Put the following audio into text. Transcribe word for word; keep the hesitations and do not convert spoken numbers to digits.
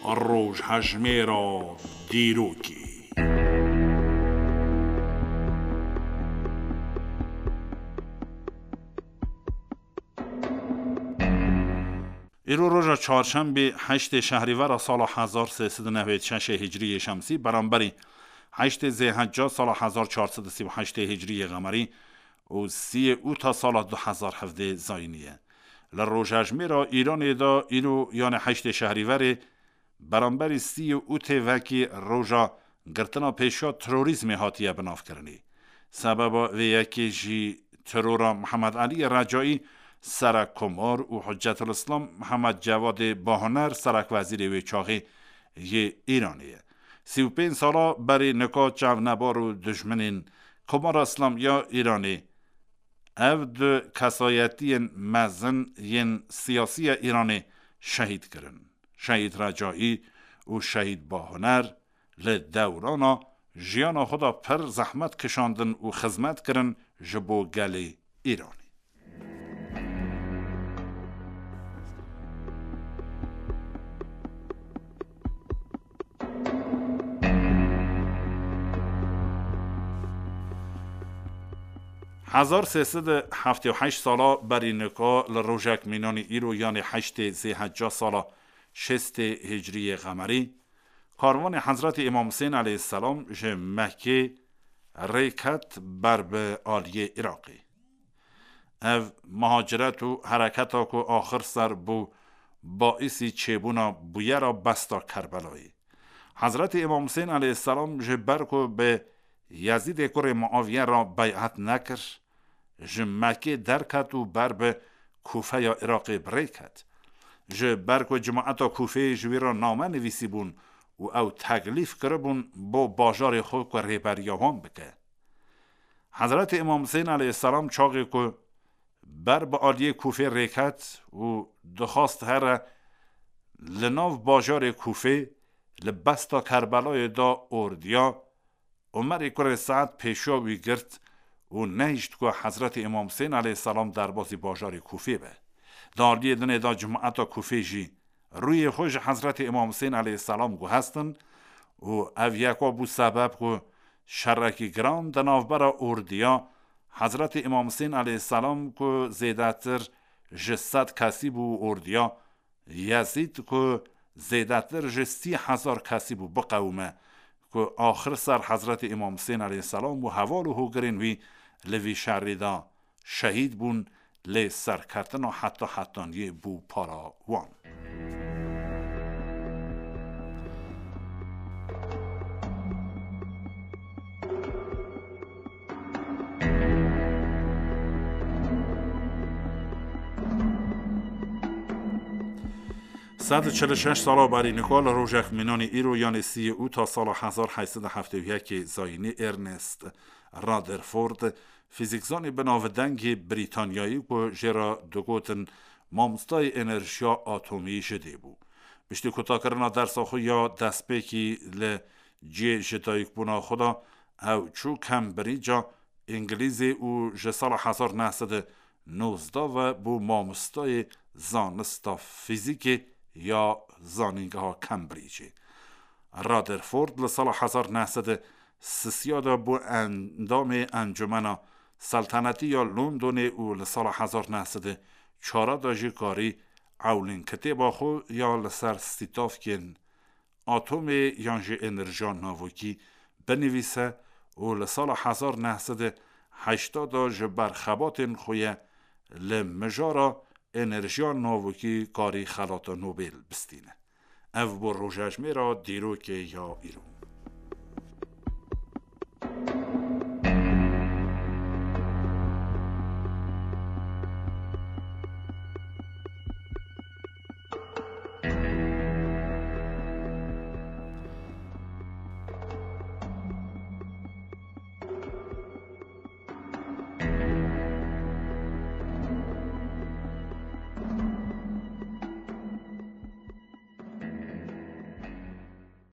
Rojhejmêra dîrokê. Îro roja çarşembê, heştê şehrîvera sala hezar sê sed û newêd şeşê hicriyê şemsî, beramberî heştê zêhecca sala hezar çar sed û sî û heştê hicriyê qemerî û sîyê ûta sala du hezar hevdê zayînî ye. Li rojhejmêra Îranê de îro, yanê heştê şehrîverê, beramberî sî û tê vekî roja girtina pêşiya terorîzmê hatiye binavkirinê. Sebeba vê yekê jî terora Mihemed Eliyê Recaî, serek Komar, û Hiccetul Îslam Mihemed Cevadê Bahoner, serekwezîrê wê çaxê yê Îranê ye. Sî û pênc sala berî nika çavnebar û dijminên Komara Îslamî ya Îranê ev du kesayetiyên mezin yên siyasî ya Îranê şehîd kirin. Şehîd Recaî û Şehîd Bahoner li dewrana jiyana xwe de pir zehmet kişandin û xizmet kirin ji bo gelê Îranê. Hezar sê sed û heftê û heşt sala berî nika li rojek mînanî îro, yanê heştê zêhecca sala şêstê hicriyê qemerî, karvanê Hezretî Îmam Husên aleyhisselam ji Mekkê rê ket ber bi aliyê Iraqê. Ev muhaciret û hereketa ku axir ser bû baîsî çêbûna bûyera besta Kerbelayê. Hezretî Îmam Husên aleyhisselam ji ber ku bi Yezîdê kurê Muaviye re bey'et nekir, ji Mekkê derket û ber bi Kûfeya Iraqê bi rê ket. Ji ber ku cemaeta Kûfeyê ji wî re name nivîsîbûn û ew teklîf kiribûn bo bajarê xwe ku rêberiya wan bike. Hezretî Îmam Husên aleyhisselam çaxê ku ber bi aliyê Kûfê rê ket û dixwast here li nav bajarê Kûfê, li besta Kerbelayê de ordiya Umerê kurê Sead pêşiya wî girt û nehişt ku Hezretî Îmam Husên aleyhisselam derbasî bajarê Kûfê be. Di aliyê dinê de cemaeta Kûfê jî rûyê xwe ji Hezretî Îmam Husên aleyhisselam guhestin û ev yeka bû sebeb ku şerekî giran di navbera ordiya Hezretî Îmam Husên aleyhisselam ku zêdetir ji sed kesî bû û ordiya Yezîd ku zêdetir ji sî hezar kesî bû biqewime, ku axir ser Hezretî Îmam Husên aleyhisselam û heval û hogirên wî li vî şerî de şehîd bûn, lê serketina heta hetaniyê bû para wan. Sed û çil û şeş sala berî nika li rojek mînanî îro, yanê sî û ta sala hezar heyt sed û heftê û yekê zayînî, Ernest Rutherford, fîzîkzanê bi navdengê Brîtanyayî ku jê re digotin mamostayê enerjiya atomî ji dê bû. Piştî kutakirina dersa xwe ya destpêkî li cihê ji dayikbûna xwe de, ew çû Cambridge-a Îngilîzê û ji sala hezar neh sed û nozdeh ve bû mamostayê zanista fîzîkê ya Zanîngeha Cambridge-ê. Rutherford li sala hezar neh sed û sisiya de bû endamê Encûmena Seltenetî ya Londonê û li sala hezar neh sed û çar de jî karî ewlîn kitêba xwe ya li ser stîtavkên atomê yan jî enerjiya navokî binivîse û li sala hezar neh sed û heştê de ji ber xebatên xwe ye li mijara enerjiya navokî karî xelata Nobel bistîne. Ev bû rojejmêra dîrokê ya îro.